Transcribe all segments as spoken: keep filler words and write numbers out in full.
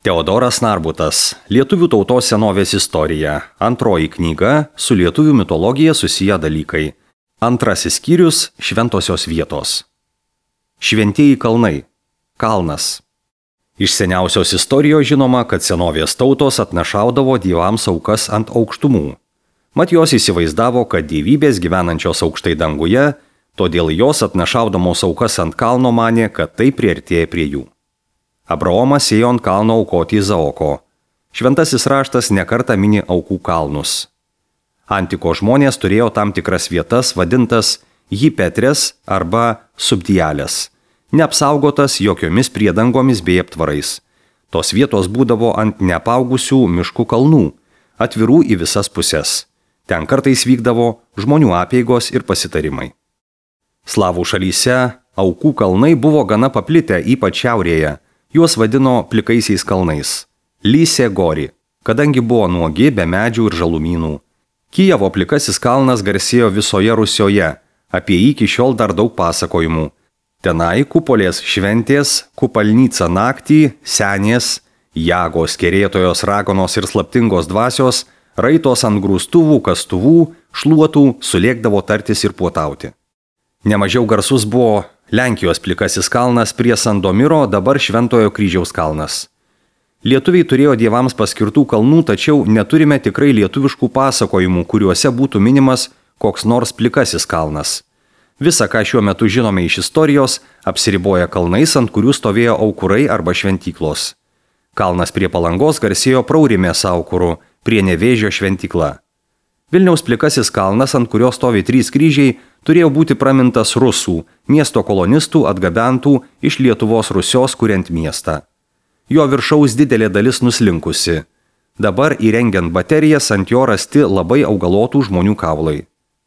Teodoras Narbutas, Lietuvių tautos senovės istorija, antroji knyga, su lietuvių mitologija susiję dalykai. Antrasis skyrius – šventosios vietos. Šventieji kalnai. Kalnas. Iš seniausios istorijos žinoma, kad senovės tautos atnašaudavo dievams aukas ant aukštumų. Mat jos įsivaizdavo, kad dievybės gyvenančios aukštai danguje, todėl jos atnašaudamos aukas ant kalno manė, kad tai priartėja prie jų. Abraomas ėjo ant kalno aukoti Izaoko. Šventasis raštas nekartą mini aukų kalnus. Antiko žmonės turėjo tam tikras vietas vadintas hipetres arba subdialės, neapsaugotas jokiomis priedangomis bei aptvarais. Tos vietos būdavo ant neapaugusių miškų kalnų, atvirų į visas puses. Ten kartais vykdavo žmonių apeigos ir pasitarimai. Slavų šalyse aukų kalnai buvo gana paplitę, ypač šiaurėje. Juos vadino plikaisiais kalnais – Lysė Gori, kadangi buvo nuogi be medžių ir žalumynų. Kijevo plikasis kalnas garsėjo visoje Rusioje, apie jį iki šiol dar daug pasakojimų. Tenai kupolės šventės, kupalnyca naktį, senės, jagos, kerėtojos, raganos ir slaptingos dvasios, raitos ant grūstuvų, kastuvų, šluotų, sulėkdavo tartis ir puotauti. Nemažiau garsus buvo Lenkijos plikasis kalnas prie Sandomiro, dabar Šventojo kryžiaus kalnas. Lietuviai turėjo dievams paskirtų kalnų, tačiau neturime tikrai lietuviškų pasakojimų, kuriuose būtų minimas koks nors plikasis kalnas. Visa, ką šiuo metu žinome iš istorijos, apsiriboja kalnais, ant kurių stovėjo aukurai arba šventyklos. Kalnas prie Palangos garsėjo Praurimės aukuru, prie Nevėžio šventykla. Vilniaus plikasis kalnas, ant kurio stovi trys kryžiai, turėjo būti pramintas rusų, miesto kolonistų atgabentų iš Lietuvos Rusios kuriant miestą. Jo viršaus didelė dalis nuslinkusi. Dabar įrengiant baterijas ant jo rasti labai augalotų žmonių kaulai.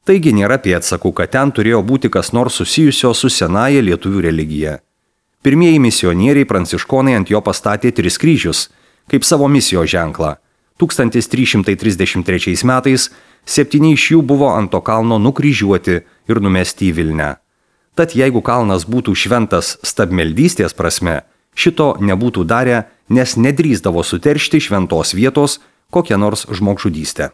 Taigi nėra pėdsakų, kad ten turėjo būti kas nors susijusio su senaja lietuvių religija. Pirmieji misionieriai pranciškonai ant jo pastatė tris kryžius, kaip savo misijos ženklą. tūkstantis trys šimtai trisdešimt trečiais metais septyni iš jų buvo ant to kalno nukryžiuoti ir numesti į Vilnią. Tad jeigu kalnas būtų šventas stabmeldystės prasme, šito nebūtų darę, nes nedrįsdavo suteršti šventos vietos kokią nors žmogžudystę.